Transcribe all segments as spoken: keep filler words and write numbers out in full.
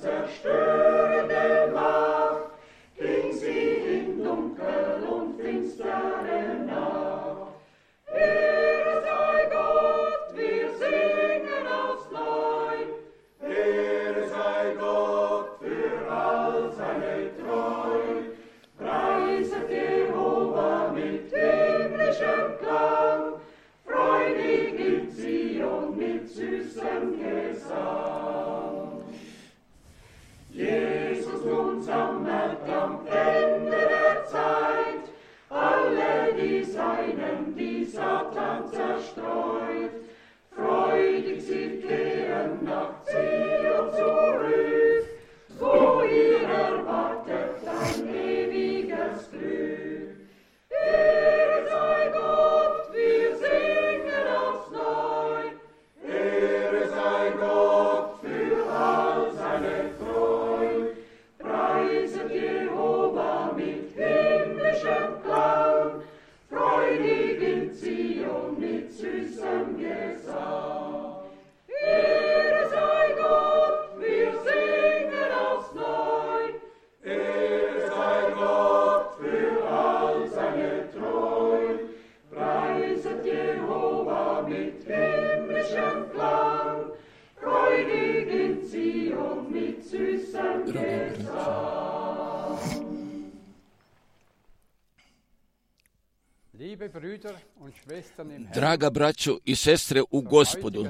Zerstörende Draga braćo i sestre u Gospodu,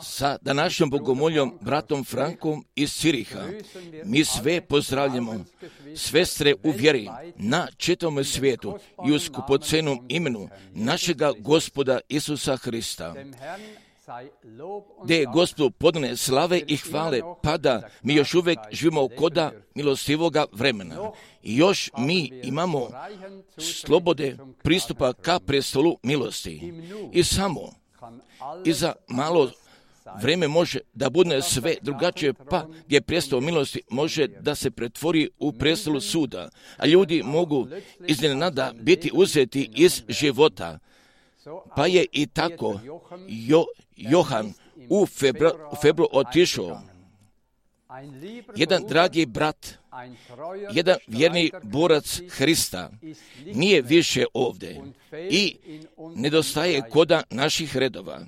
sa današnjom bogomoljom bratom Frankom iz Ciriha, mi sve pozdravljamo, sestre u vjeri na čitavom svijetu i u skupocenom imenu našega Gospoda Isusa Hrista. Gdje je Gospodu podane slave i hvale, pa da mi još uvijek živimo koda milostivoga vremena. I još mi imamo slobode pristupa ka prestolu milosti. I samo i za malo vrijeme može da bude sve drugačije, pa gdje prestol milosti može da se pretvori u prestol suda, a ljudi mogu iznenada biti uzeti iz života. Pa je i tako jo, Johan u febru, u febru otišao. Jedan dragi brat, jedan vjerni borac Hrista nije više ovdje i nedostaje koda naših redova.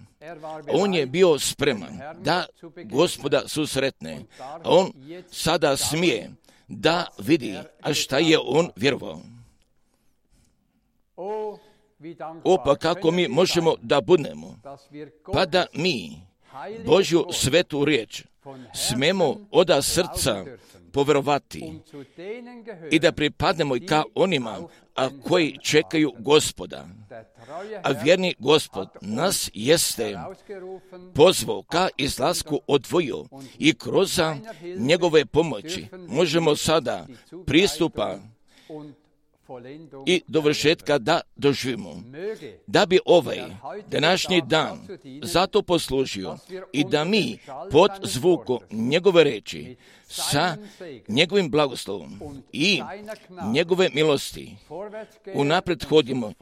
On je bio spreman da Gospoda susretne, a on sada smije da vidi, a šta je on vjerovao. O, pa kako mi možemo da budemo, pa da mi Božju svetu riječ smemo oda srca povjerovati i da pripadnemo i ka onima a koji čekaju Gospoda. A vjerni Gospod nas jeste pozvao ka izlasku odvojio i kroz njegove pomoći možemo sada pristupa i dovršetka da doživimo. Da bi ovaj današnji dan zato poslužio i da mi pod zvukom njegove reči sa njegovim blagoslovom i njegove milosti unaprijed hodimo,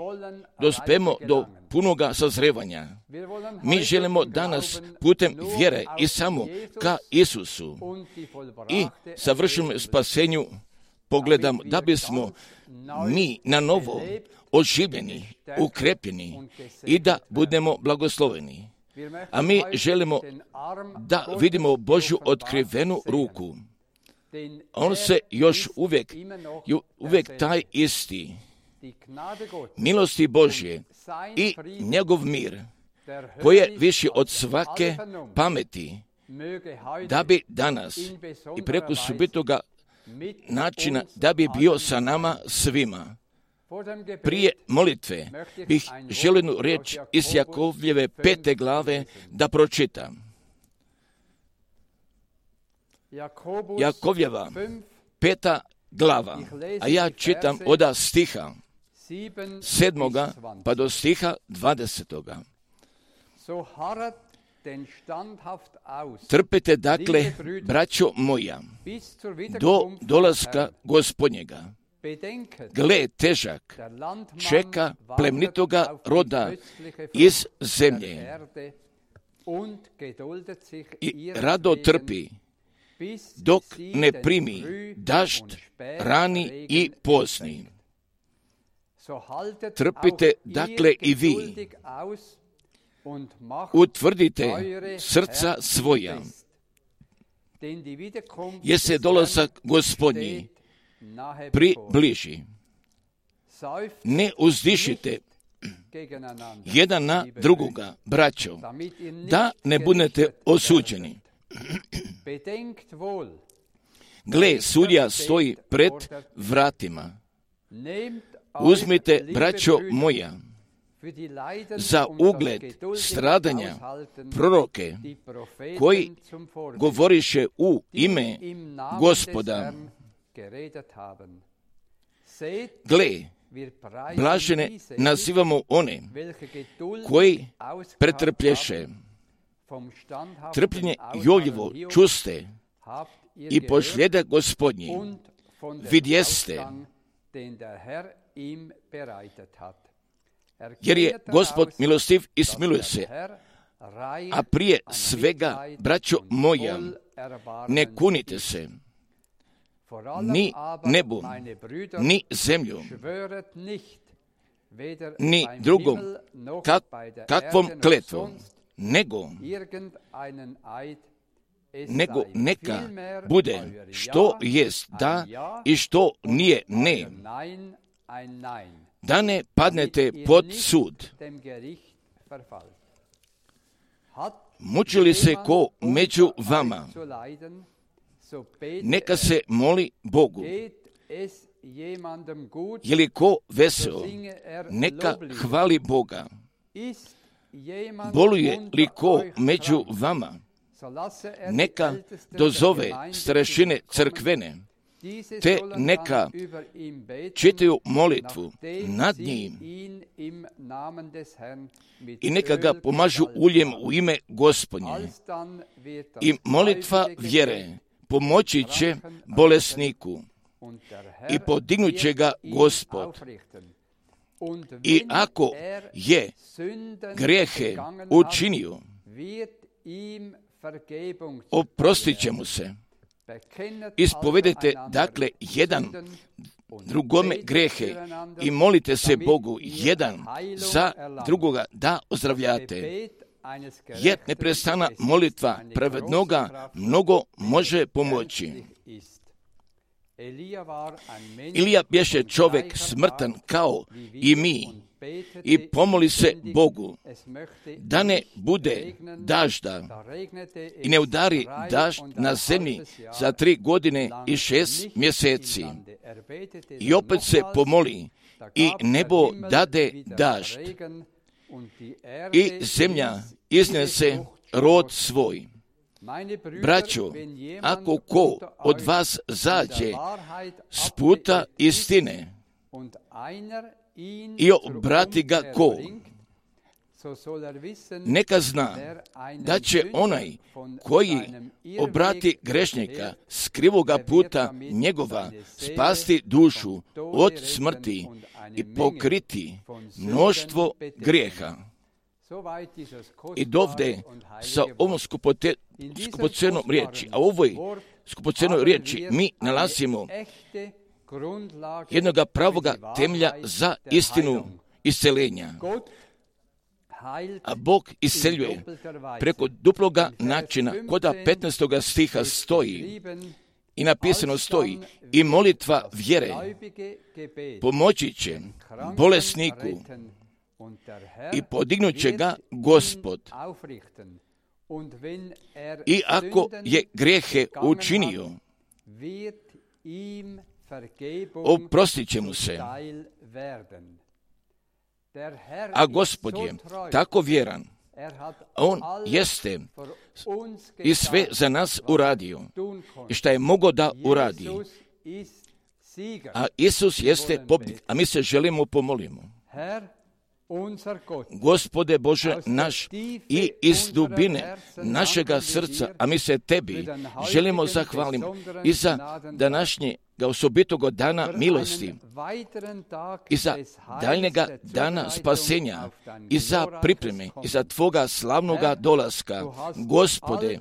dospemo do punoga sazrevanja. Mi želimo danas putem vjere i samo ka Isusu i savršenom spasenju pogledamo, da bismo mi na novo oživljeni, ukrepljeni i da budemo blagosloveni. A mi želimo da vidimo Božju otkrivenu ruku. On se još uvijek, uvijek taj isti. Milosti Božje i njegov mir, koji je viši od svake pameti, da bi danas i preko subitoga načina da bi bio sa nama svima. Prije molitve bih želio jednu riječ iz Jakovljeve pete glave da pročitam. Jakovljeva peta glava, a ja čitam od stiha sedmoga pa do stiha dvadesetoga. Trpite dakle, braćo moja, do dolaska Gospodnjega. Gle, težak čeka plemnitoga roda iz zemlje i rado trpi, dok ne primi dažd rani i pozni. Trpite dakle i vi, utvrdite srca svoja, jer se dolazak Gospodnji približi. Ne uzdišite jedan na drugoga, braćo, da ne budete osuđeni. Gle, sudija stoji pred vratima. Uzmite, braćo moja, za ugled stradanja proroke koji govoriše u ime Gospoda. Gle, blažene nazivamo one koji pretrplješe. Trpljenje Jovljevo čuste i pošljeda Gospodnji vidjeste, jer je Gospod milostiv i smiluje se. A prije svega, braćo moja, ne kunite se ni nebom, ni zemljom, ni drugom kak, kakvom kletvom, nego, nego neka bude što jest da i što nije ne, da ne padnete pod sud. Muči li se ko među vama, neka se moli Bogu. Je li ko veseo, neka hvali Boga. Boluje li ko među vama, neka dozove starešine crkvene, te neka čitaju molitvu nad njim i neka ga pomažu uljem u ime Gospodnje. I molitva vjere pomoći će bolesniku i podignut će ga Gospod. I ako je grijehe učinio, oprostit će mu se. Ispovedete dakle jedan drugome grijehe i molite se Bogu jedan za drugoga da ozdravljate. Jer neprestana molitva pravednoga mnogo može pomoći. Ilija bješe čovjek smrtan kao i mi i pomoli se Bogu da ne bude dažda i ne udari dažd na zemlji za tri godine i šest mjeseci. I opet se pomoli i nebo dade dažd i zemlja iznese rod svoj. Braćo, ako ko od vas zađe s puta istine i obrati ga ko, neka zna da će onaj koji obrati grešnika s krivoga puta njegova spasti dušu od smrti i pokriti mnoštvo grijeha. I dovde sa ovom skupote, skupocenom riječi, a u ovoj skupocenoj riječi mi nalazimo jednoga pravoga temelja za istinu isceljenja. A Bog isceljuje preko duploga načina, koda petnaestoga stiha stoji i napisano stoji i molitva vjere pomoći će bolesniku i podignut će ga Gospod. I ako je grijehe učinio, oprostit će mu se. A Gospod je tako vjeran. On jeste i sve za nas uradio i šta je mogao da uradi. A Isus jeste pobjednik, a mi se želimo pomolimo. Gospode Bože naš, i iz dubine našega srca, a mi se Tebi želimo zahvaliti i za današnje osobitog dana milosti i za daljnjega dana spasenja i za pripreme i za Tvoga slavnoga dolaska. Gospode,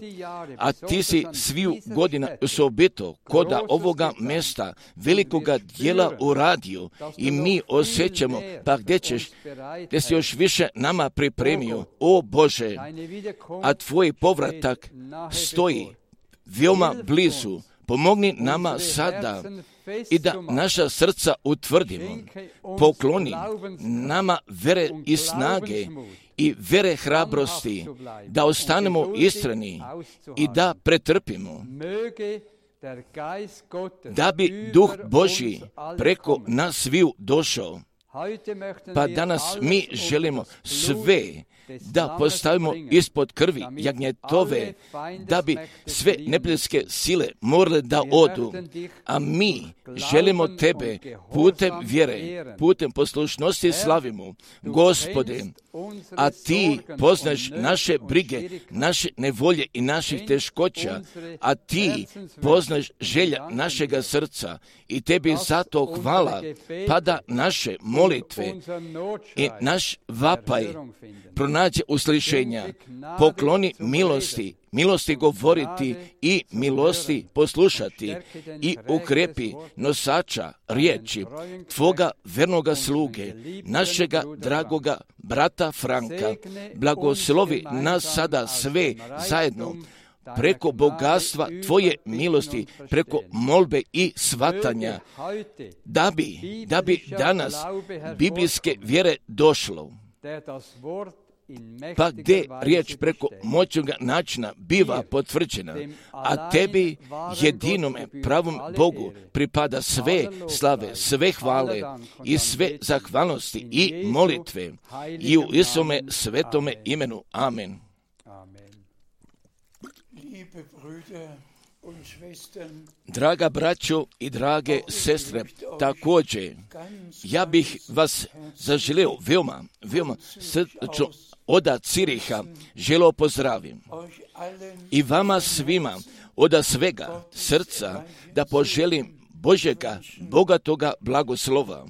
a Ti si sviju godina osobito koda ovoga mjesta velikoga dijela uradio i mi osjećamo, pa gdje ćeš, gdje si još više nama pripremio, o Bože, a Tvoj povratak stoji veoma blizu. Pomogni nama sada i da naša srca utvrdimo. Pokloni nama vere i snage i vere hrabrosti, da ostanemo istrani i da pretrpimo. Da bi Duh Božji preko nas sviju došao. Pa danas mi želimo sve da postavimo ispod krvi jagnjetove, da bi sve neprijateljske sile morale da odu. A mi želimo Tebe putem vjere, putem poslušnosti slavimo. Gospode, a Ti poznaš naše brige, naše nevolje i naših teškoća, a Ti poznaš želja našega srca i Tebi zato hvala, pa da naše molitve i naš vapaj pronađe uslišenja. Pokloni milosti milosti govoriti i milosti poslušati i ukrepi nosača riječi Tvoga vernoga sluge, našega dragoga brata Franka. Blagoslovi nas sada sve zajedno preko bogatstva Tvoje milosti, preko molbe i svatanja, da bi, da bi danas biblijske vjere došlo. Pa gdje riječ preko moćnog načina biva potvrđena, a Tebi, jedinome pravom Bogu, pripada sve slave, sve hvale i sve zahvalnosti i molitve i u Isome svetome imenu. Amen. Draga braćo i drage sestre, također ja bih vas zaželio veoma, veoma srdačno od Ciriha želio pozdravim i vama svima od svega srca da poželim Božjega bogatoga blagoslova.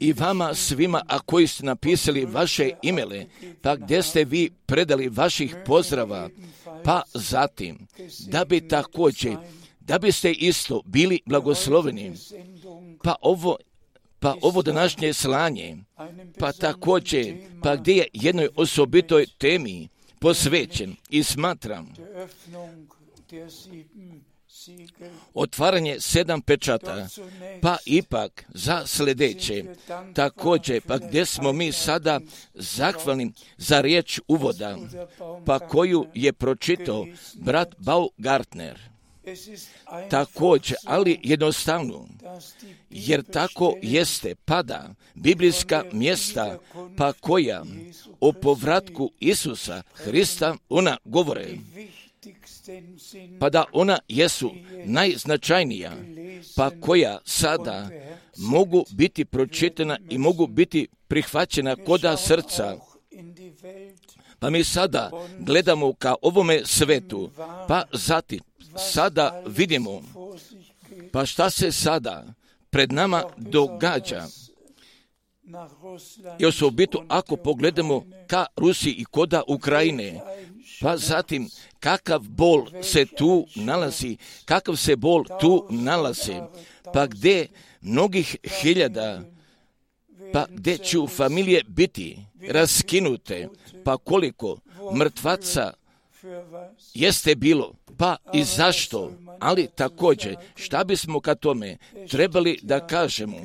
I vama svima, a koji ste napisali vaše imele, pa gdje ste vi predali vaših pozdrava, pa zatim, da bi također, da biste isto bili blagosloveni, pa ovo, pa ovo današnje slanje, pa također, pa gdje je jednoj osobitoj temi posvećen i smatram otvaranje sedam pečata, pa ipak za sljedeće, također, pa gdje smo mi sada zahvalni za riječ uvoda, pa koju je pročitao brat Baumgartner. Također, ali jednostavno, jer tako jeste pada biblijska mjesta, pa koja o povratku Isusa Hrista ona govore, pa da ona jesu najznačajnija, pa koja sada mogu biti pročitana i mogu biti prihvaćena koda srca. Pa mi sada gledamo ka ovome svetu, pa zatim sada vidimo, pa šta se sada pred nama događa. I osobito ako pogledamo ka Rusiji i koda Ukrajine, pa zatim kakav bol se tu nalazi, kakav se bol tu nalazi, pa gdje mnogih hiljada, pa gdje će familije biti raskinute, pa koliko mrtvaca jeste bilo, pa i zašto, ali također šta bismo ka tome trebali da kažemo,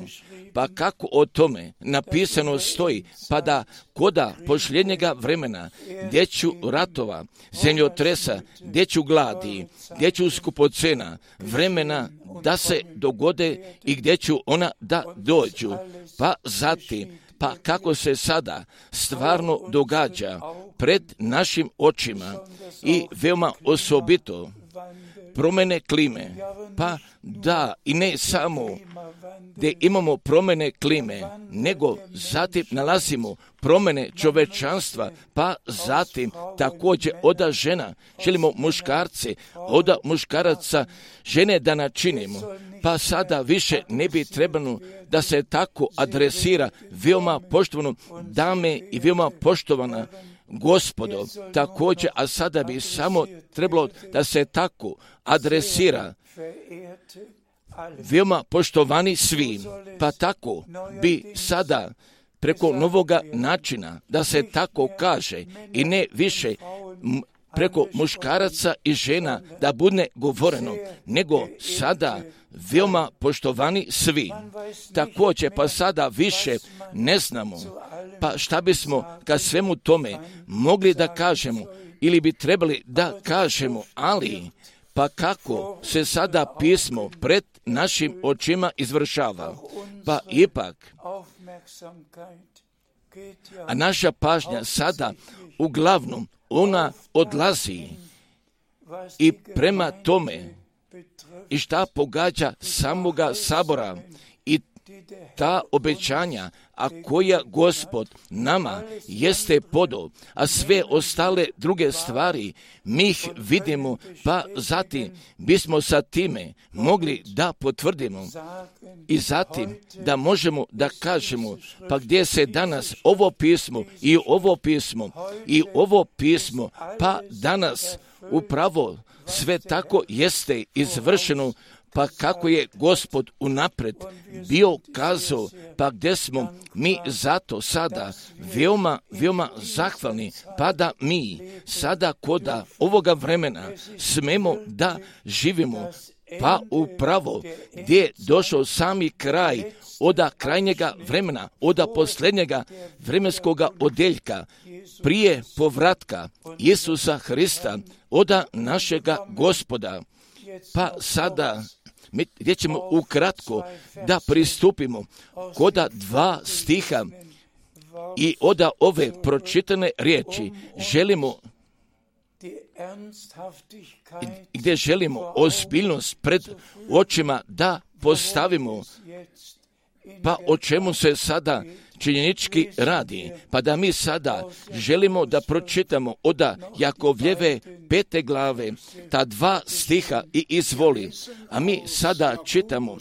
pa kako o tome napisano stoji, pa da koda posljednjega vremena, gdje ću ratova, zemljotresa, gdje ću gladi, gdje ću skupocena, vremena da se dogode i gdje ću ona da dođu, pa zatim, pa kako se sada stvarno događa pred našim očima i veoma osobito promjene klime, pa da i ne samo gdje imamo promjene klime, nego zatim nalazimo promjene čovečanstva, pa zatim također oda žena, želimo muškarce, oda muškaraca žene da načinimo, pa sada više ne bi trebalo da se tako adresira veoma poštovano dame i veoma poštovana Gospodo, također, a sada bi samo trebalo da se tako adresira veoma poštovani svi, pa tako bi sada preko novoga načina da se tako kaže i ne više preko muškaraca i žena da bude govoreno, nego sada veoma poštovani svi. Također, pa sada više ne znamo, pa šta bismo ka svemu tome mogli da kažemo ili bi trebali da kažemo, ali pa kako se sada pismo pred našim očima izvršava, pa ipak, a naša pažnja sada uglavnom ona odlazi i prema tome i šta pogađa samoga sabora i ta obećanja, a koja Gospod nama jeste podao, a sve ostale druge stvari mi ih vidimo, pa zatim bismo sa time mogli da potvrdimo i zatim da možemo da kažemo, pa gdje se danas ovo pismo i ovo pismo i ovo pismo, pa danas upravo sve tako jeste izvršeno, pa kako je Gospod unapred bio kazao, pa gdje smo mi zato sada veoma, veoma zahvalni, pa da mi sada koda ovoga vremena smemo da živimo, pa upravo gdje je došao sami kraj oda krajnjega vremena, oda posljednjega vremenskoga odeljka, prije povratka Isusa Hrista, oda našega Gospoda. Pa sada mi gdje ćemo ukratko da pristupimo koda dva stiha i oda ove pročitane riječi želimo gdje želimo ozbiljnost pred očima da postavimo, pa o čemu se sada činjenički radi, pa da mi sada želimo da pročitamo oda Jakovljeve pete glave, ta dva stiha i izvoli, a mi sada čitamo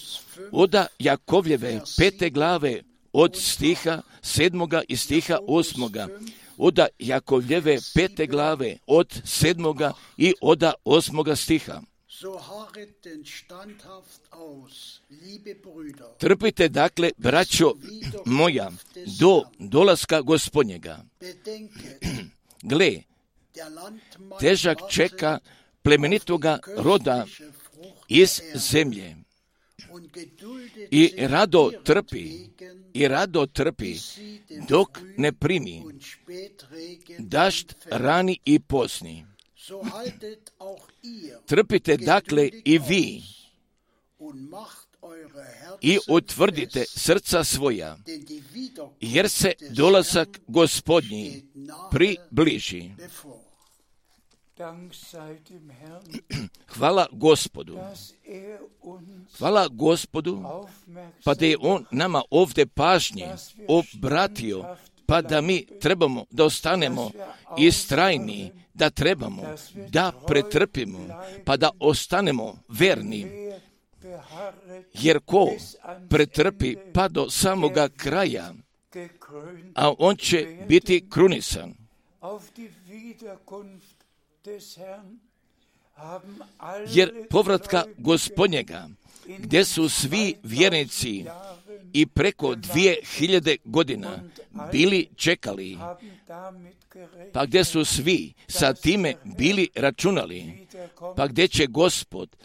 oda Jakovljeve pete glave od stiha sedmoga i stiha osmoga, oda Jakovljeve pete glave od sedmoga i oda osmoga stiha. Trpite dakle, braćo moja, do dolaska Gospodnjega. Gle, težak čeka plemenitoga roda iz zemlje i rado trpi, i rado trpi dok ne primi dašt rani i posni. Trpite dakle i vi i utvrdite srca svoja, jer se dolazak Gospodnji približi. Hvala Gospodu. Hvala Gospodu, pa da je On nama ovdje pažnje obratio, pa da mi trebamo da ostanemo istrajni, da trebamo da pretrpimo, pa da ostanemo verni. Jer ko pretrpi pa do samoga kraja, a on će biti krunisan. Jer povratka Gospodnjega, gdje su svi vjernici i preko dvije hiljade godina bili čekali, pa gdje su svi sa time bili računali, pa gdje će Gospod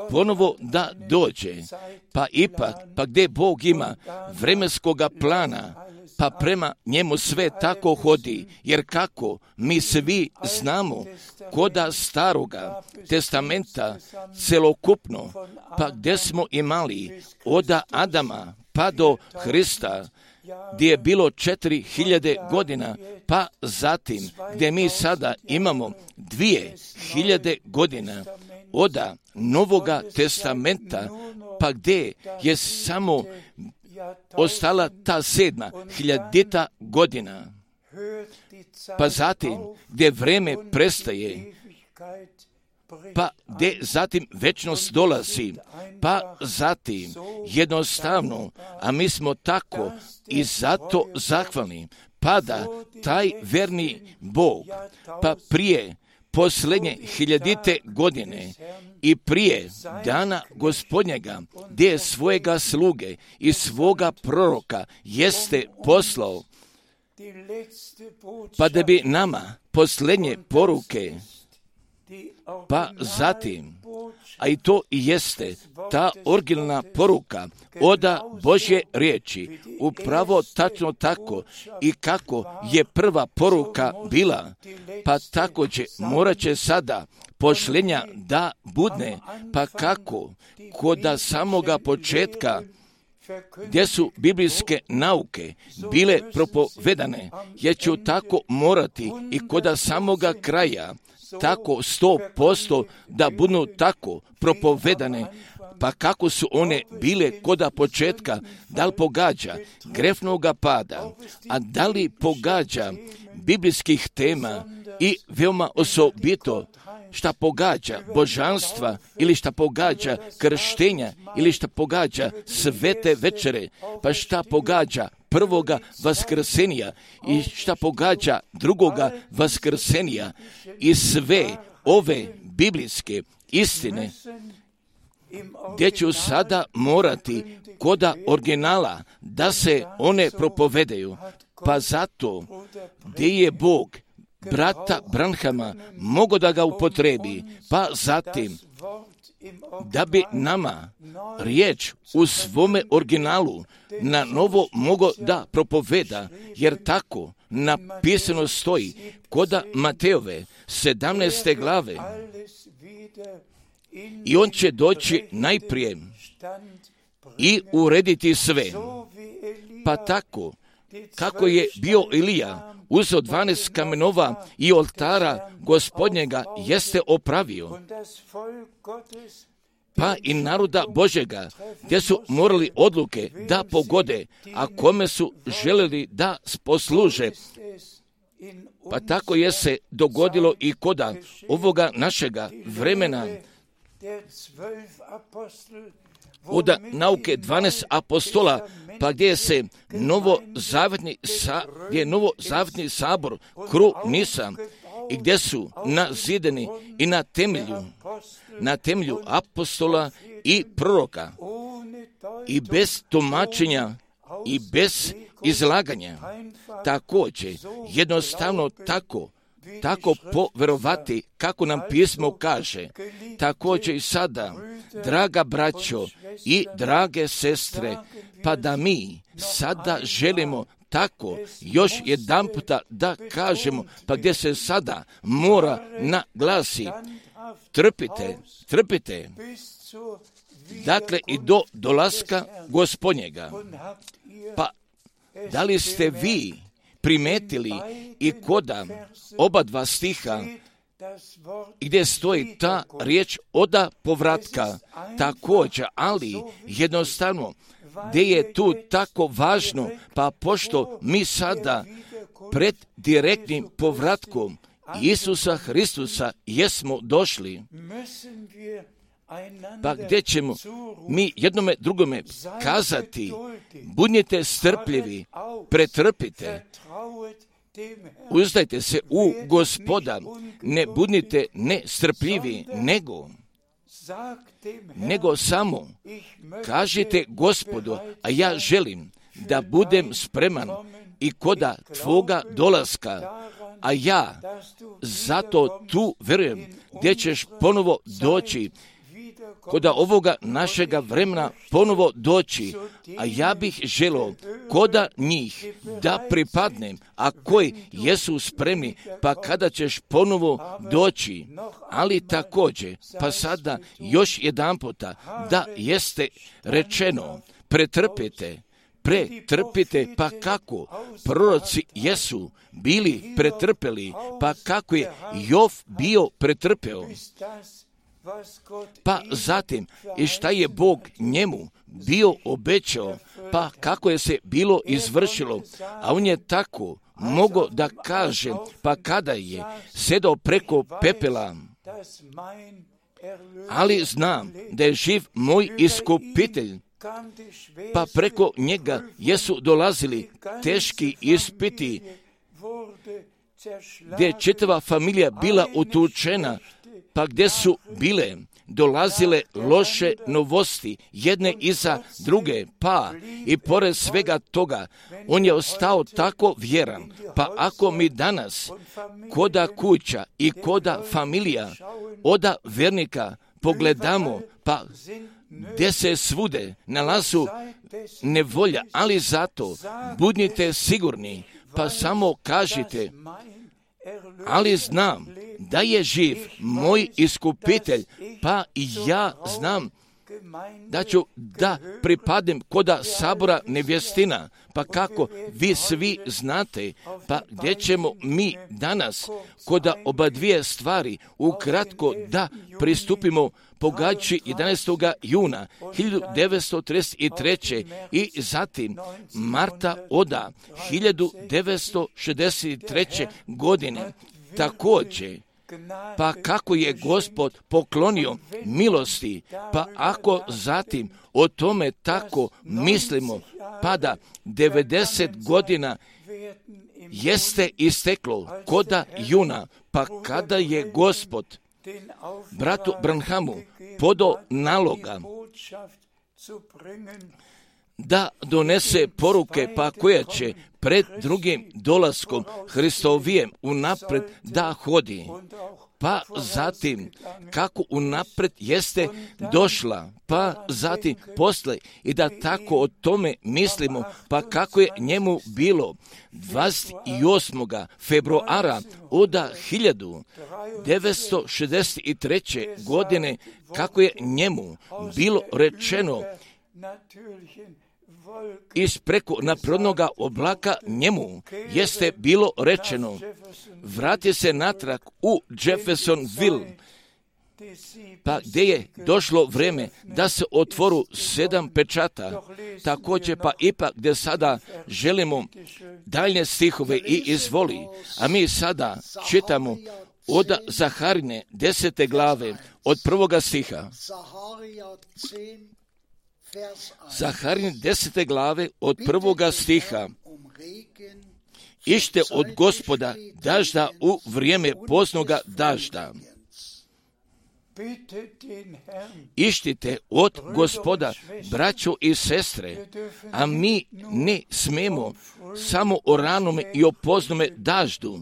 ponovo da dođe, pa ipak, pa gdje Bog ima vremenskoga plana, pa prema njemu sve tako hodi, jer kako mi svi znamo koda staroga testamenta celokupno, pa gdje smo imali oda Adama pa do Hrista, gdje je bilo četiri hiljade godina, pa zatim gdje mi sada imamo dvije hiljade godina oda Novoga testamenta, pa gdje je samo ostala ta sedma hiljadita godina, pa zatim gdje vreme prestaje, pa gdje zatim večnost dolazi, pa zatim jednostavno, a mi smo tako i zato zahvalni, pa da taj verni Bog, pa prije posljednje hiljadite godine i prije dana Gospodnjega, gdje je svojega sluge i svoga proroka jeste poslao, pa da bi nama posljednje poruke, pa zatim, a i to i jeste ta originalna poruka oda Božje riječi, upravo tačno tako i kako je prva poruka bila, pa također morat će sada pošljenja da budne, pa kako koda samoga početka gdje su biblijske nauke bile propovedane, jer ću tako morati i koda samoga kraja tako sto posto da budu tako propovedane, pa kako su one bile koda početka, da li pogađa grefnoga pada, a da li pogađa biblijskih tema i veoma osobito šta pogađa božanstva ili šta pogađa krštenja ili šta pogađa svete večere, pa šta pogađa prvoga vaskrsenja i šta pogađa drugoga vaskrsenja i sve ove biblijske istine gdje ću sada morati koda originala da se one propovedaju, pa zato gdje je Bog brata Branhama mogo da ga upotrebi, pa zatim da bi nama riječ u svome originalu na novo mogo da propoveda, jer tako napisano stoji koda Mateove sedamnaeste glave. I on će doći najprije i urediti sve. Pa tako, kako je bio Ilija uzeo dvanaest kamenova i oltara Gospodnjega jeste opravio, pa i naroda Božjega, gdje su morali odluke da pogode, a kome su želeli da posluže. Pa tako je se dogodilo i koda ovoga našega vremena, od nauke dvanaest apostola, pa gdje se novozavetni, sa, gdje je novozavetni sabor kru Nisa i gdje su nazidani i na temelju, na temelju apostola i proroka i bez tumačenja i bez izlaganja. Također, jednostavno tako, tako poverovati kako nam pismo kaže. Također i sada, draga braćo i drage sestre, pa da mi sada želimo tako još jedan puta da kažemo, pa gdje se sada mora naglasi, trpite, trpite, dakle i do dolaska Gospodnjega. Pa da li ste vi primetili i koda oba dva stiha gdje stoji ta riječ oda povratka također, ali jednostavno gdje je tu tako važno, pa pošto mi sada pred direktnim povratkom Isusa Hristusa jesmo došli, pa gdje ćemo mi jednome drugome kazati, budite strpljivi, pretrpite, uzdajte se u Gospoda, ne budite nestrpljivi, nego, nego samo kažite Gospodu, a ja želim da budem spreman i koda tvoga dolaska, a ja zato tu verujem gdje ćeš ponovo doći, koda ovoga našega vremena ponovo doći, a ja bih želio koda njih da pripadnem, a koji jesu spremni, pa kada ćeš ponovo doći, ali također, pa sada još jedan puta, da jeste rečeno, pretrpite, pretrpite, pa kako proroci jesu bili pretrpeli, pa kako je Jov bio pretrpeo, pa zatim i šta je Bog njemu bio obećao, pa kako je se bilo izvršilo, a on je tako mogao da kaže, pa kada je sedao preko pepela, ali znam da je živ moj iskupitelj, pa preko njega jesu dolazili teški ispiti, gdje je čitava familija bila utučena, pa gdje su bile dolazile loše novosti, jedne iza druge, pa i pored svega toga, on je ostao tako vjeran, pa ako mi danas koda kuća i koda familija oda vernika pogledamo, pa gdje se svude nalazu nevolja, ali zato budite sigurni, pa samo kažite, ali znam da je živ moj iskupitelj, pa i ja znam da ću da pripadnem koda sabora nevjestina, pa kako vi svi znate, pa gdje ćemo mi danas koda oba dvije stvari ukratko da pristupimo pogađajući jedanaestog juna hiljadu devetsto trideset treće. i zatim marta oda hiljadu devetsto šezdeset treće. godine također. Pa kako je Gospod poklonio milosti, pa ako zatim o tome tako mislimo, pa da devedeset godina jeste isteklo koda juna, pa kada je Gospod bratu Branhamu podao naloga da donese poruke, pa koja će pred drugim dolaskom Hristovijem unapred da hodi, pa zatim kako unapred jeste došla, pa zatim posle i da tako o tome mislimo, pa kako je njemu bilo dvadeset osmog februara oda hiljadu devetsto šezdeset treće. godine, kako je njemu bilo rečeno iz preko naprodnoga oblaka njemu jeste bilo rečeno, vrati se natrag u Jeffersonville, pa gdje je došlo vrijeme da se otvoru sedam pečata. Također pa ipak gdje sada želimo daljnje stihove i izvoli, a mi sada čitamo od Zaharine desete glave od prvoga stiha. Zaharin desete glave od prvoga stiha. Ište od Gospoda dažda u vrijeme poznoga dažda. Ištite od Gospoda, braćo i sestre, a mi ne smemo samo o ranome i o poznome daždu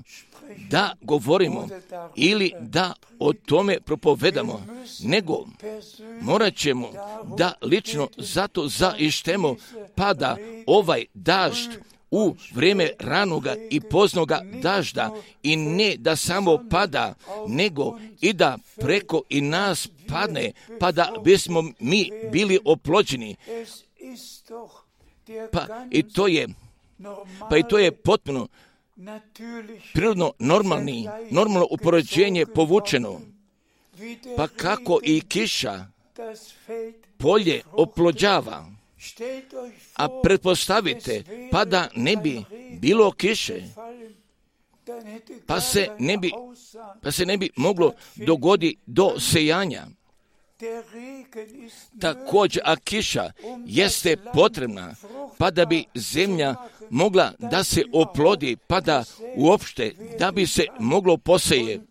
da govorimo ili da o tome propovedamo, nego morat ćemo da lično zato zaištemo, pa da ovaj dažd u vrijeme ranoga i poznoga dažda i ne da samo pada, nego i da preko i nas padne, pa da bismo mi bili oplođeni. Pa i to je, pa i to je potpuno prirodno normalni, normalno upoređenje povučeno. Pa kako i kiša polje oplođava, a pretpostavite, pa da ne bi bilo kiše, pa se ne bi, pa se ne bi moglo dogoditi do sejanja. Također, a kiša jeste potrebna, pa da bi zemlja mogla da se oplodi, pa da uopšte, da bi se moglo poseje.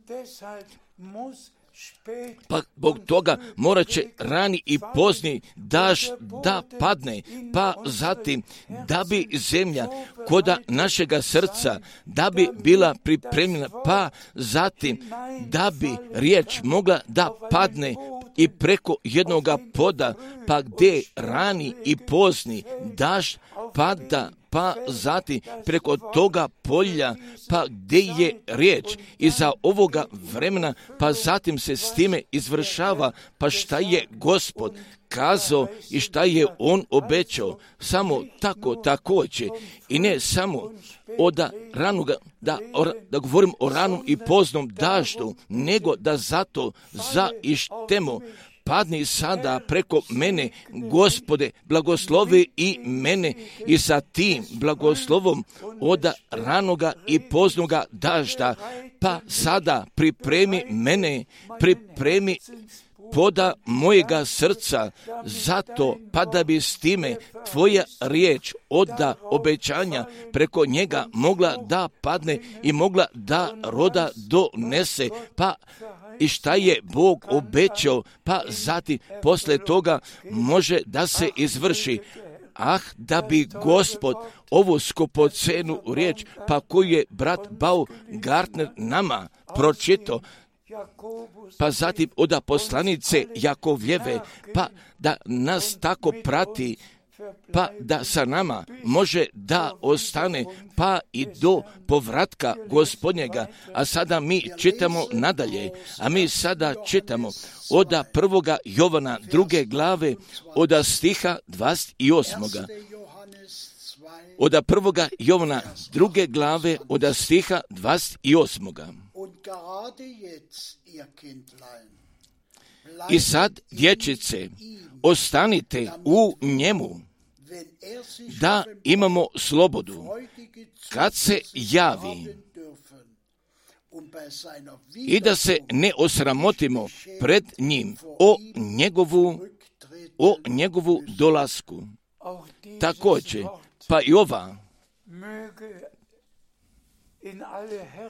Pa zbog toga morat će rani i pozni dažd da padne, pa zatim da bi zemlja koda našega srca, da bi bila pripremljena, pa zatim da bi riječ mogla da padne i preko jednoga poda, pa gdje rani i pozni dažd pada, pa zatim preko toga polja, pa gdje je riječ iza ovoga vremena, pa zatim se s time izvršava, pa šta je Gospod kazao i šta je On obećao, samo tako također i ne samo od ranoga, da, da govorim o ranom i poznom daždu, nego da zato zaištemo. Padni sada preko mene, Gospode, blagoslovi i mene i sa tim blagoslovom od ranoga i poznoga dažda, pa sada pripremi mene, pripremi poda mojega srca, zato pa da bi s time tvoja riječ od obećanja preko njega mogla da padne i mogla da roda donese, pa i šta je Bog obećao, pa zatim posle toga može da se izvrši. Ah, da bi Gospod ovu skupocenu riječ, pa koju je brat Baumgartner nama pročitao, pa zatim od poslanice Jakovljeve, pa da nas tako prati pa da sa nama može da ostane pa i do povratka Gospodnjega. A sada mi čitamo nadalje, a mi sada čitamo od prvoga Jovana druge glave od stiha dvadeset osmoga. Od prvoga Jovana druge glave od stiha dvadeset osmoga. I sad, dječice, ostanite u njemu, da imamo slobodu, kad se javi, i da se ne osramotimo pred njim o njegovu, o njegovu dolasku. Također, pa i ova,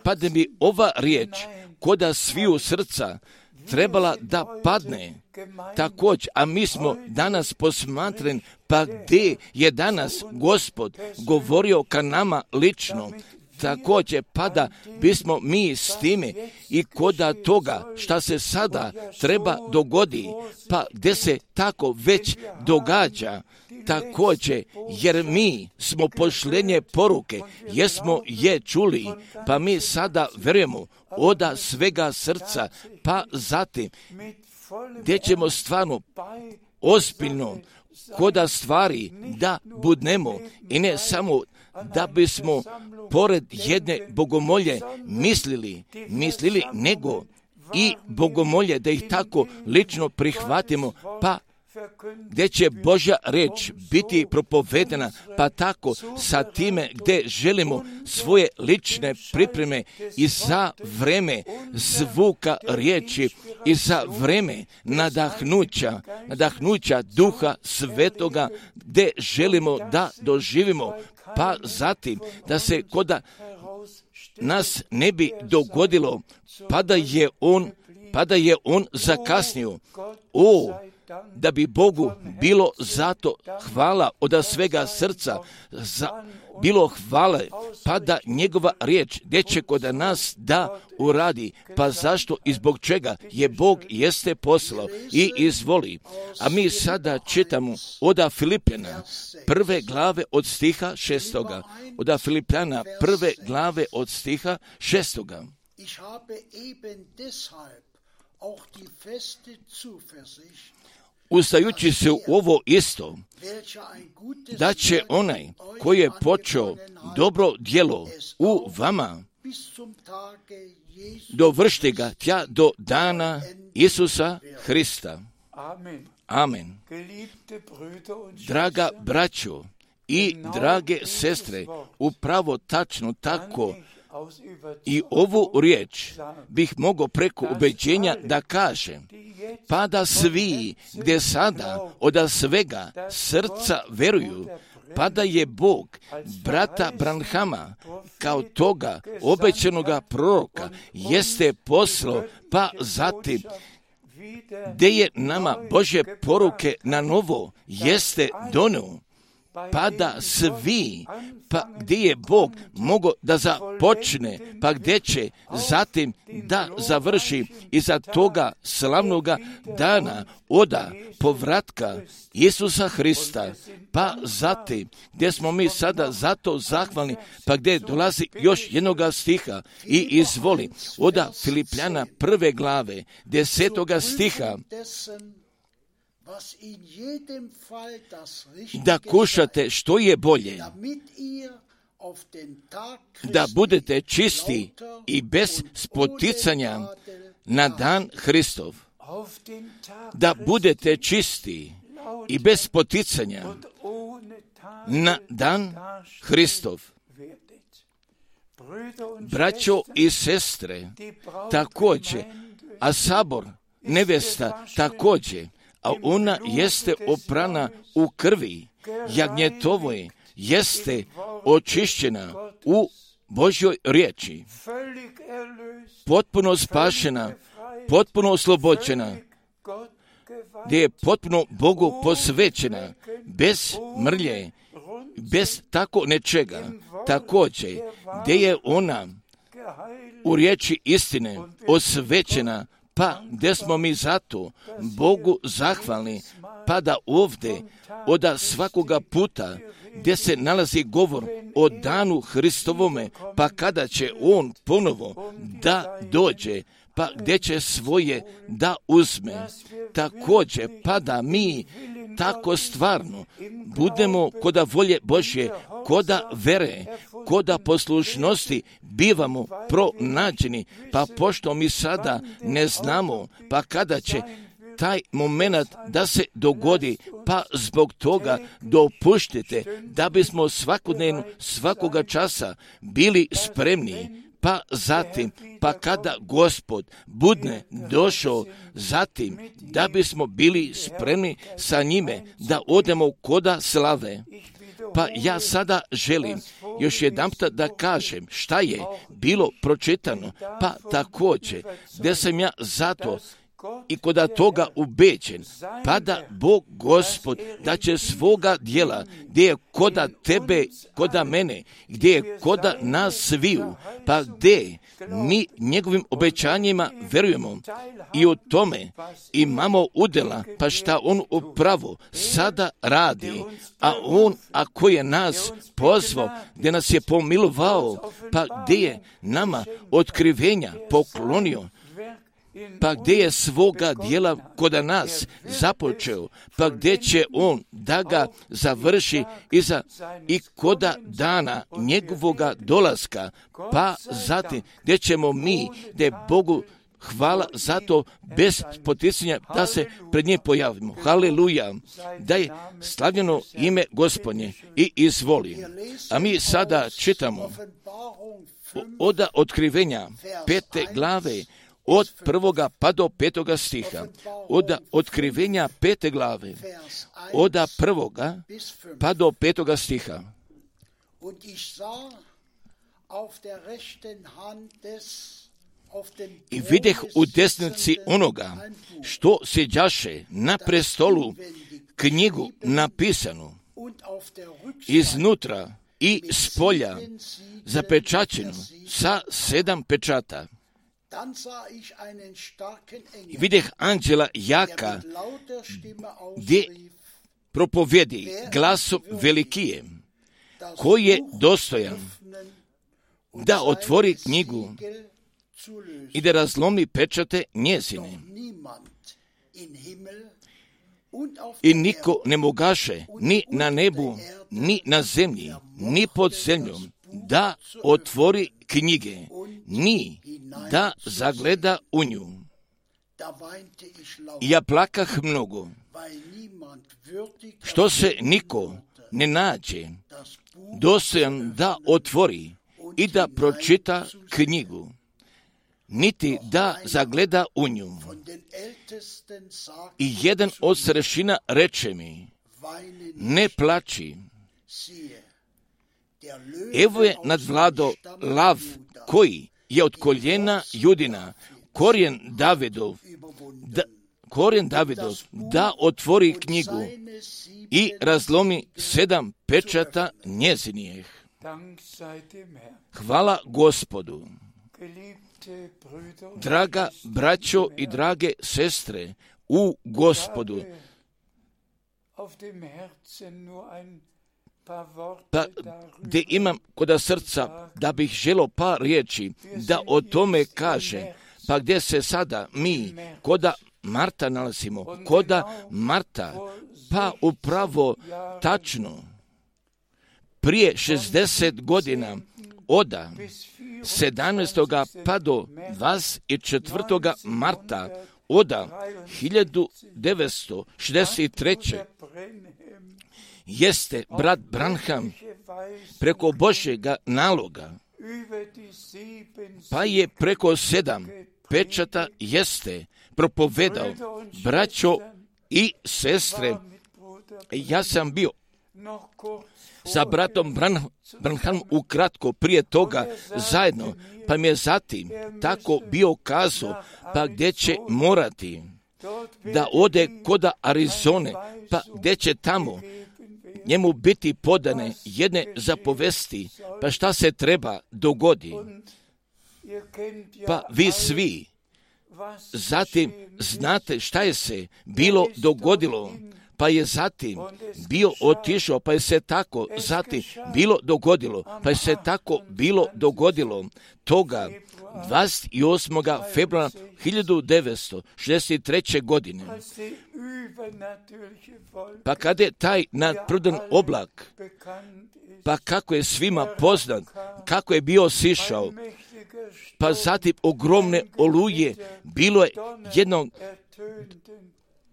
pa da bi ova riječ koda sviju srca trebala da padne također, a mi smo danas posmatren, pa gdje je danas Gospod govorio ka nama lično, također, pa da bismo mi s time i koda toga šta se sada treba dogodi, pa gdje se tako već događa, također, jer mi smo pošlenje poruke, jesmo je čuli, pa mi sada vjerujemo od svega srca, pa zatim gdje ćemo stvarno ozbiljno koda stvari da budnemo i ne samo da bismo pored jedne bogomolje mislili, mislili nego i bogomolje da ih tako lično prihvatimo, pa gdje će Božja riječ biti propovedena, pa tako sa time gdje želimo svoje lične pripreme i za vreme zvuka riječi i za vreme nadahnuća, nadahnuća Duha Svetoga gdje želimo da doživimo, pa zatim da se koda nas ne bi dogodilo, pa da je on, pa da je on zakasnio. O, da bi Bogu bilo zato hvala od svega srca, za, bilo hvale, pa da njegova riječ gdje će kod nas da uradi, pa zašto i zbog čega je Bog jeste poslao i izvoli. A mi sada čitamo od Filipljana prve glave od stiha šestoga. Od Filipljana prve glave od stiha šestoga. Ustajući se u ovo isto, da će onaj koji je počeo dobro djelo u vama, dovršiti ga tja do dana Isusa Hrista. Amen. Draga braćo i drage sestre, upravo tačno tako i ovu riječ bih mogao preko ubeđenja da kažem, pa da svi gdje sada od svega srca veruju, pa da je Bog brata Branhama kao toga obećanoga proroka jeste poslao, pa zatim gdje je nama Božje poruke na novo jeste donio, pa da svi, pa gdje je Bog mogao da započne, pa gdje će zatim da završi iza toga slavnoga dana oda povratka Isusa Hrista, pa zatim gdje smo mi sada zato zahvalni, pa gdje dolazi još jednoga stiha i izvoli oda Filipljana prve glave desetoga stiha, da kušate što je bolje, da budete čisti i bez spoticanja na dan Hristov, da budete čisti i bez spoticanja na dan Hristov. Braćo i sestre, također, a sabor, nevesta također, a ona jeste oprana u krvi jagnjetovoj, jeste očišćena u Božjoj riječi, potpuno spašena, potpuno oslobođena, gdje je potpuno Bogu posvećena, bez mrlje, bez tako nečega, također, gdje je ona u riječi istine osvećena, pa gdje smo mi zato Bogu zahvalni, pa da ovdje od svakoga puta gdje se nalazi govor o danu Hristovome, pa kada će On ponovo da dođe, pa gdje će svoje da uzme, također pa da mi tako stvarno budemo koda volje Božje, koda vere, koda poslušnosti bivamo pronađeni, pa pošto mi sada ne znamo, pa kada će taj moment da se dogodi, pa zbog toga dopuštite da bismo svakodnevno, svakoga časa bili spremni, pa zatim, pa kada Gospod budne došao, zatim da bismo bili spremni sa njime da odemo koda slave. Pa ja sada želim još jedanput da kažem šta je bilo pročitano, pa također gdje sam ja zato i koda toga ubeđen, pa da Bog Gospod da će svoga djela, gdje je koda tebe, koda mene, gdje je koda nas sviju, pa gdje mi njegovim obećanjima verujemo i u tome imamo udjela, pa šta On upravo sada radi, a On ako je nas pozvao, gdje nas je pomilovao, pa gdje je nama otkrivenja poklonio, pa gdje je svoga djela koda nas započeo, pa gdje će On da ga završi iza i koda dana njegovoga dolaska, pa zatim gdje ćemo mi, gdje Bogu hvala zato bez poticanja da se pred njim pojavimo. Haleluja, da je slavljeno ime Gospodnje i izvoli. A mi sada čitamo od otkrivenja pete glave, od prvoga pa do petoga stiha, od otkrivenja pete glave, od prvoga pa do petoga stiha. I videh u desnici onoga što sjeđaše na prestolu knjigu napisanu iznutra i spolja zapečaćenu sa sedam pečata. I videh anđela jaka, gdje propovjedi glasom velikije, koji je dostojan da otvori knjigu i da razlomi pečate njezine. I niko ne mogaše ni na nebu, ni na zemlji, ni pod zemljom da otvori knjige, ni da zagleda u nju. I ja plakah mnogo, što se niko ne nađe dostojan da otvori i da pročita knjigu, niti da zagleda u nju. I jedan od starešina reče mi, ne plači, evo je nadvlado lav koji je od koljena Judina, korijen Davidov, da, korijen Davidov, da otvori knjigu i razlomi sedam pečata njezinijeh. Hvala Gospodu. Draga braćo i drage sestre u Gospodu, pa gdje imam koda srca da bih želio par riječi da o tome kaže, pa gdje se sada mi koda Marta nalazimo, koda Marta, pa upravo tačno prije šezdeset godina oda sedamnaestoga pa do dvadeset četvrtoga marta oda hiljadu devetsto šezdeset treće jeste brat Branham preko Božjega naloga, pa je preko sedam pečata jeste propovedao, braćo i sestre, ja sam bio sa bratom Branham ukratko prije toga zajedno, pa mi je zatim tako bio kazao, pa gdje će morati da ode koda Arizone, pa gdje će tamo njemu biti podane jedne zapovesti, pa šta se treba dogodi. Pa vi svi zatim znate šta je se bilo dogodilo, pa je zatim bio otišao, pa je se tako zatim bilo dogodilo, pa je se tako bilo dogodilo toga dvadeset osmog februara hiljadu devetsto šezdeset treće. godine. Pa kada je taj nadprirodan oblak, pa kako je svima poznat, kako je bio sišao, pa zatim ogromne oluje, bilo je jednog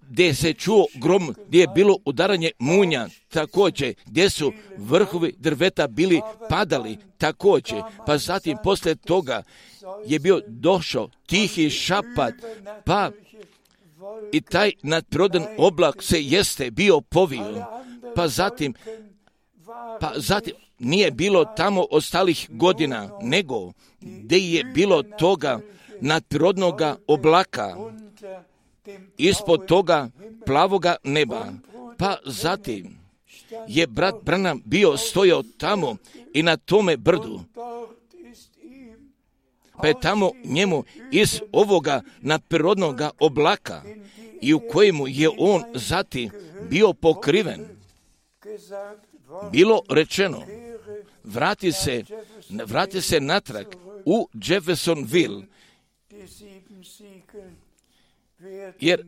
gdje se čuo grom, gdje je bilo udaranje munja, također, gdje su vrhovi drveta bili padali, također, pa zatim poslije toga je bio došao tihi šapat, pa i taj nadprirodan oblak se jeste bio povio, pa zatim, pa zatim nije bilo tamo ostalih godina, nego gdje je bilo toga nadprirodnoga oblaka, ispod toga plavoga neba, pa zatim je brat Branham bio stojao tamo i na tome brdu, pa je tamo njemu iz ovoga nadprirodnoga oblaka i u kojemu je on zatim bio pokriven, bilo rečeno, vrati se, vrati se natrag u Jeffersonville, jer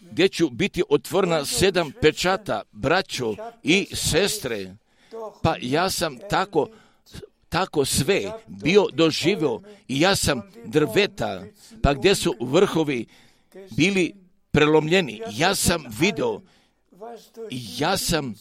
gdje ću biti otvorena sedam pečata, braćo i sestre, pa ja sam tako, tako sve bio doživio i ja sam drveta, pa gdje su vrhovi bili prelomljeni, ja sam vidio i ja sam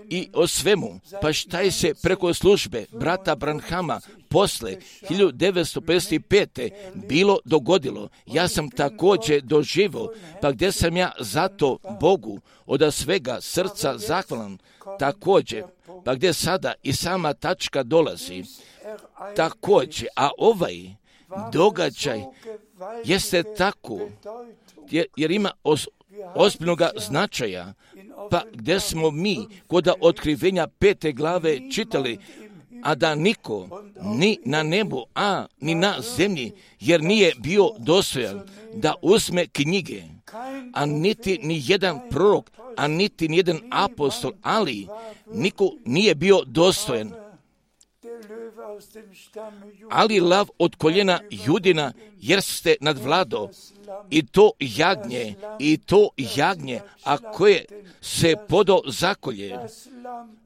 i o svemu, pa šta je se preko službe brata Branhama posle hiljadu devetsto pedeset pete. bilo dogodilo, ja sam također doživio, pa gdje sam ja zato Bogu od svega srca zahvalan, također, pa gdje sada i sama tačka dolazi, također, a ovaj događaj jeste tako, jer, jer ima os, ozbiljnoga značaja, pa gdje smo mi kod otkrivenja pete glave čitali, a da niko ni na nebu, a ni na zemlji, jer nije bio dostojan da uzme knjige, a niti ni jedan prorok, a niti ni jedan apostol, ali niko nije bio dostojan. Ali lav od koljena Judina, jer ste nadvlado, i to jagnje, i to jagnje, a koje se podo zakolje,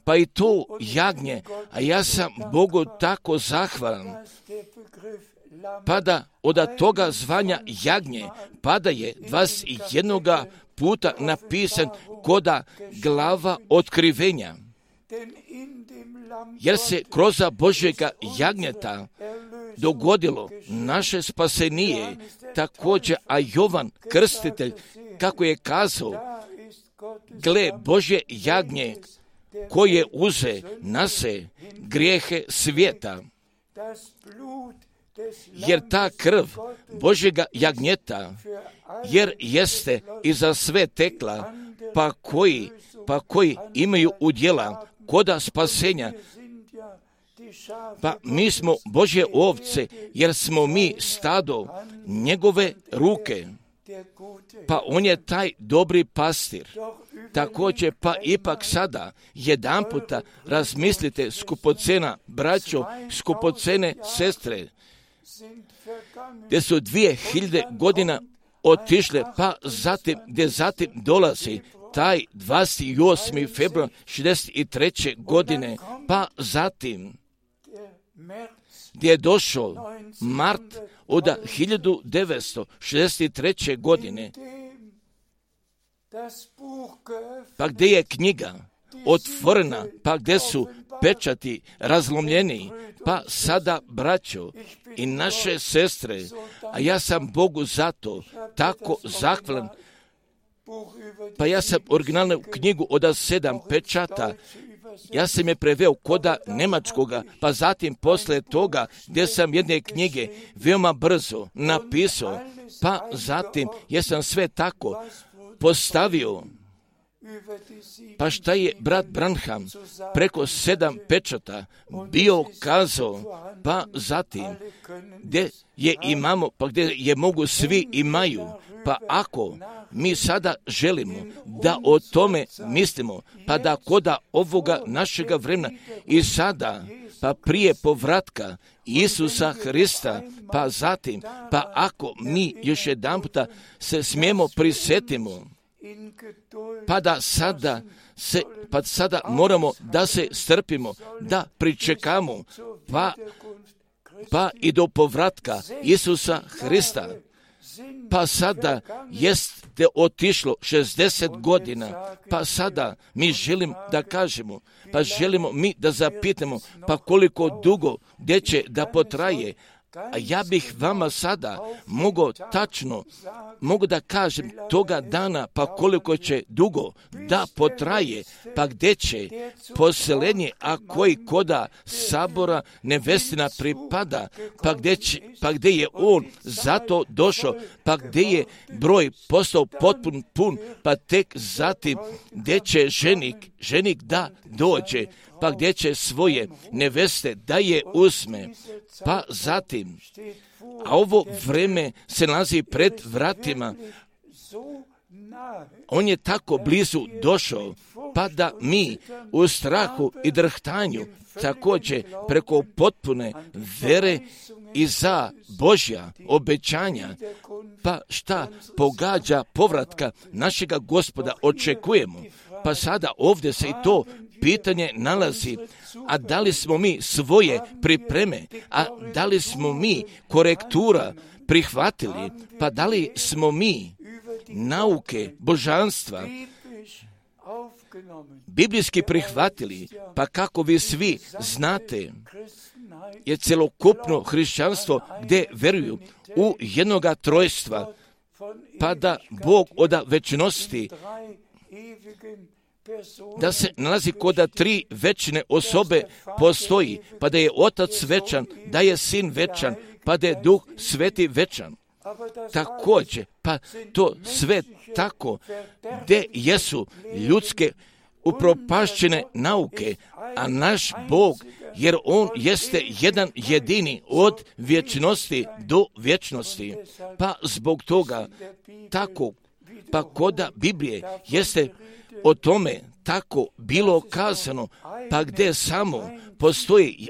pa i to jagnje, a ja sam Bogu tako zahvalan, pa da od toga zvanja jagnje, pa da je dvadeset jednoga puta napisan koda glava otkrivenja, jer se kroz Božjega jagnjeta dogodilo naše spasenije, također, a Jovan Krstitelj, kako je kazao, gle Božje jagnje, koje uze na se grijehe svijeta, jer ta krv Božjega jagnjeta, jer jeste i za sve tekla, pa koji, pa koji imaju udjela koda spasenja, pa mi smo Božje ovce, jer smo mi stado njegove ruke, pa on je taj dobri pastir. Također, pa ipak sada, jedan puta razmislite, skupocena braćo, skupocene sestre, gdje su dvije hiljade godina otišle, pa zatim, gdje zatim dolazi taj dvadeset osmi februar šezdeset treće. godine, pa zatim gdje je došao mart od hiljadu devetsto šezdeset treće. godine, pa gdje je knjiga otvorena, pa gdje su pečati razlomljeni, pa sada braćo i naše sestre, a ja sam Bogu zato tako zahvalan, pa ja sam originalnu knjigu od sedam pečata, ja sam je preveo koda nemačkoga, pa zatim posle toga gdje sam jedne knjige veoma brzo napisao, pa zatim ja sam sve tako postavio Pa šta je brat Branham preko sedam pečata bio kazao, pa zatim gdje je imamo, pa gdje je mogu svi imaju, pa ako mi sada želimo da o tome mislimo, pa da koda ovoga našega vremena i sada, pa prije povratka Isusa Hrista, pa zatim, pa ako mi još jedan puta se smijemo prisjetimo, pa da sada se, pa sada moramo da se strpimo, da pričekamo, pa, pa i do povratka Isusa Hrista. Pa sada jeste otišlo šezdeset godina, pa sada mi želim da kažemo, pa želimo mi da zapitamo, pa koliko dugo, gdje će da potraje. A ja bih vama sada mogao tačno, mogu da kažem toga dana, pa koliko će dugo da potraje, pa gdje će poselenje, a koji koda sabora nevestina pripada, pa gdje, će, pa gdje je on zato došao, pa gdje je broj postao potpun pun, pa tek zatim gdje će ženik, ženik da dođe, pa gdje će svoje neveste da je uzme, pa zatim, a ovo vreme se nalazi pred vratima, on je tako blizu došao, pa da mi u strahu i drhtanju također preko potpune vere i za Božja obećanja, pa šta pogađa povratka našega Gospoda očekujemo, pa sada ovdje se i to pitanje nalazi, a da li smo mi svoje pripreme, a da li smo mi korektura prihvatili, pa da li smo mi nauke božanstva biblijski prihvatili, pa kako vi svi znate, je celokupno hrišćanstvo gdje veruju u jednoga trojstva, pa da Bog od večnosti, da se nalazi koda tri večne osobe postoji, pa da je Otac večan, da je Sin večan, pa da je Duh Sveti večan. Također, pa to sve tako, gdje jesu ljudske upropašćene nauke, a naš Bog, jer On jeste jedan jedini od vječnosti do vječnosti, pa zbog toga tako, pa koda Biblije jeste o tome tako bilo kazano, pa gdje samo postoji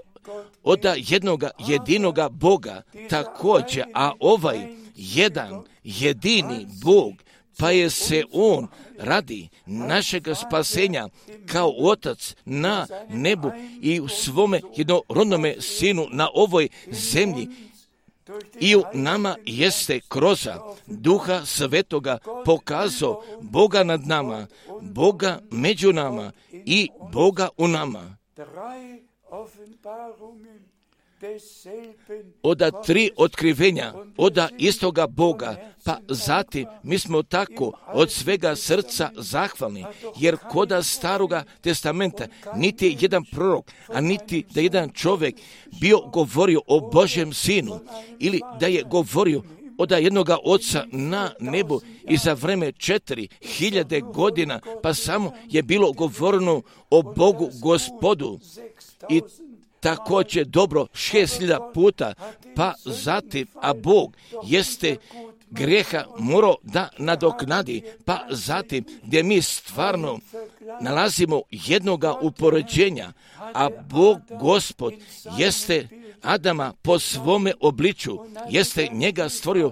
od jednoga jedinoga Boga također, a ovaj jedan jedini Bog, pa je se On radi našega spasenja kao Otac na nebu i u svome jednorodnome Sinu na ovoj zemlji i u nama jeste kroz Duha Svetoga pokazao Boga nad nama, Boga među nama i Boga u nama. Oda tri otkrivenja, oda istoga Boga, pa zatim mi smo tako od svega srca zahvalni, jer koda staroga testamenta niti jedan prorok, a niti da jedan čovjek bio govorio o Božjem Sinu, ili da je govorio od jednoga oca na nebu i za vreme četiri hiljade godina, pa samo je bilo govoreno o Bogu Gospodu i također dobro šest hiljada puta, pa zatim, a Bog jeste grijeha morao da nadoknadi, pa zatim gdje mi stvarno nalazimo jednoga upoređenja, a Bog Gospod jeste Adama po svome obliču, jeste njega stvorio,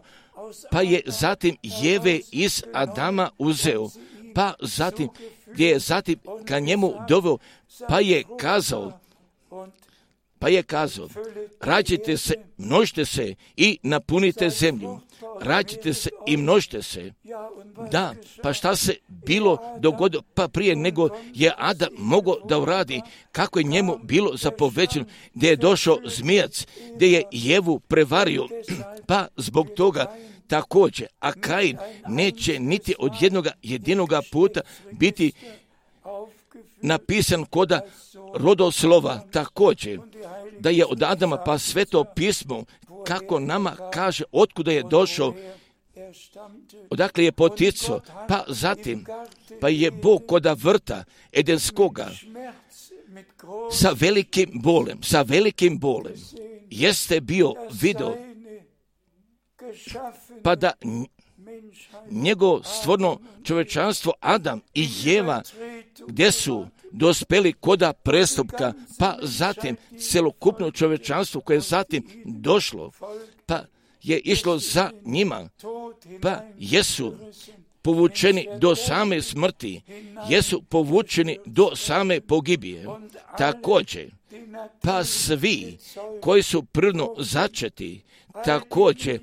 pa je zatim Jeve iz Adama uzeo, pa zatim gdje je zatim ka njemu doveo, pa je kazao, Pa je kazao, rađite se, množite se i napunite zemlju. Rađite se i množite se. Da, pa šta se bilo dogodilo, pa prije nego je Adam mogao da uradi, kako je njemu bilo zapovećeno, gdje je došao zmijac, gdje je Jevu prevario, pa zbog toga također, a Kain neće niti od jednoga jedinoga puta biti napisan koda rodoslova, također, da je od Adama pa sveto pismo, kako nama kaže otkuda je došao, odakle je poticao, pa zatim, pa je Bog koda vrta Edenskoga sa velikim bolem, sa velikim bolem, jeste bio video, pa da njegovo stvorno čovečanstvo Adam i Jeva, gdje su dospeli koda prestupka, pa zatim celokupno čovečanstvo koje je zatim došlo, pa je išlo za njima, pa jesu povučeni do same smrti, jesu povučeni do same pogibije. Također, pa svi koji su prirodno začeti, također,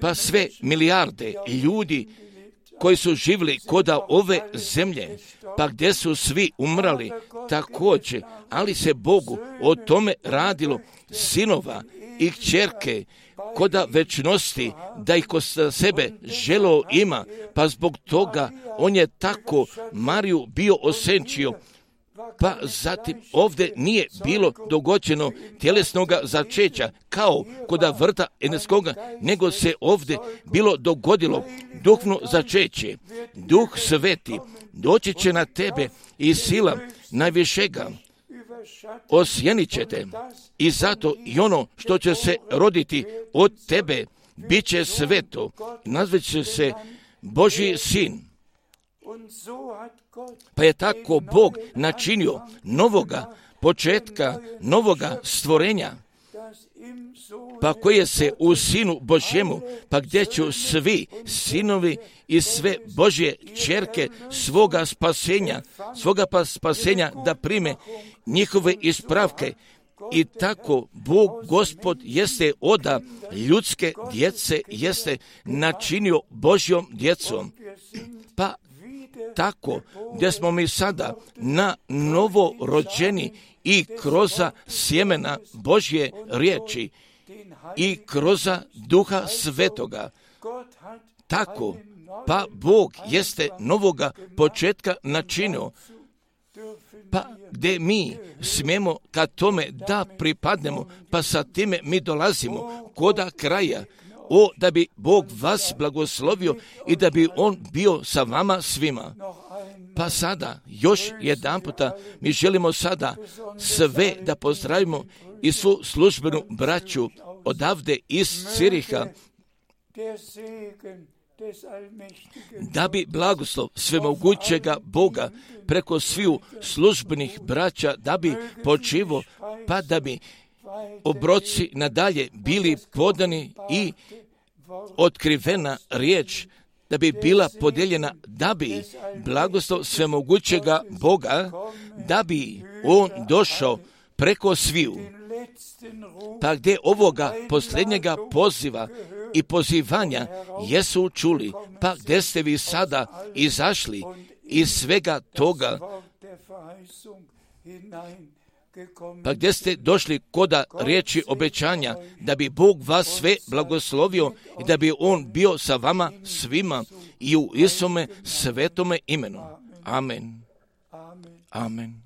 pa sve milijarde ljudi koji su živjeli koda ove zemlje, pa gdje su svi umrali, također, ali se Bogu o tome radilo sinova i kćerke, koda večnosti, da ih kod sebe želo ima, pa zbog toga on je tako Mariju bio osenčio, pa zatim ovdje nije bilo dogođeno tjelesnoga začeća, kao koda vrta Edenskoga, nego se ovdje bilo dogodilo duhno začeće. Duh Sveti doći će na tebe i sila najvišega osjenit će te, i zato i ono što će se roditi od tebe bit će sveto, nazvat će se Božji sin. Pa je tako Bog načinio novoga početka, novoga stvorenja, pa koje se u Sinu Božjemu, pa gdje će svi sinovi i sve Božje ćerke svoga spasenja, svoga pa spasenja da prime njihove ispravke. I tako Bog Gospod jeste oda ljudske djece, jeste načinio Božjom djecom. Pa tako gdje smo mi sada na novo rođeni i kroz sjemena Božje riječi i kroz Duha Svetoga. Tako, pa Bog jeste novoga početka načinio, pa gdje mi smijemo ka tome da pripadnemo, pa sa time mi dolazimo koda kraja, o da bi Bog vas blagoslovio i da bi On bio sa vama svima. Pa sada, još jedan puta, mi želimo sada sve da pozdravimo i svu službenu braću odavde iz Ciriha, da bi blagoslov svemogućega Boga preko sviju službenih braća da bi počivo, pa da bi obroci nadalje bili podani i otkrivena riječ da bi bila podijeljena, da bi blagoslov svemogućega Boga, da bi On došao preko sviju. Pa gdje ovoga posljednjega poziva i pozivanja jesu čuli, pa gdje ste vi sada izašli iz svega toga, pa gdje ste došli koda riječi obećanja, da bi Bog vas sve blagoslovio i da bi On bio sa vama svima i u Isome svetome imenu. Amen. Amen.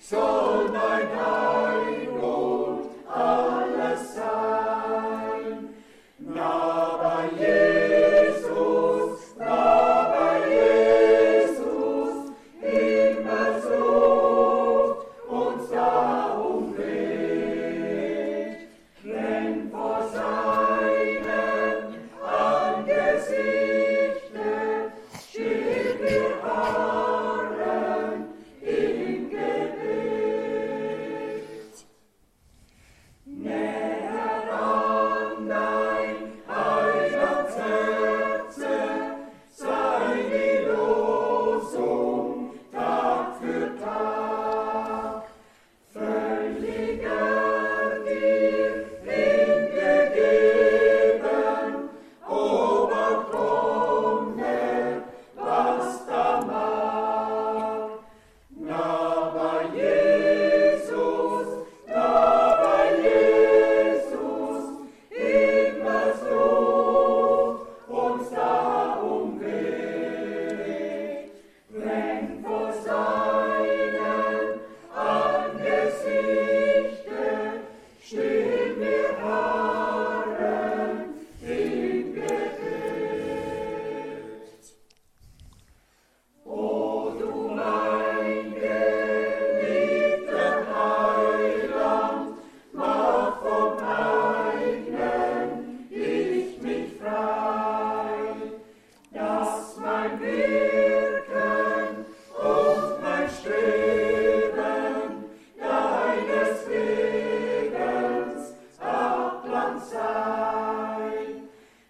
So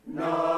No.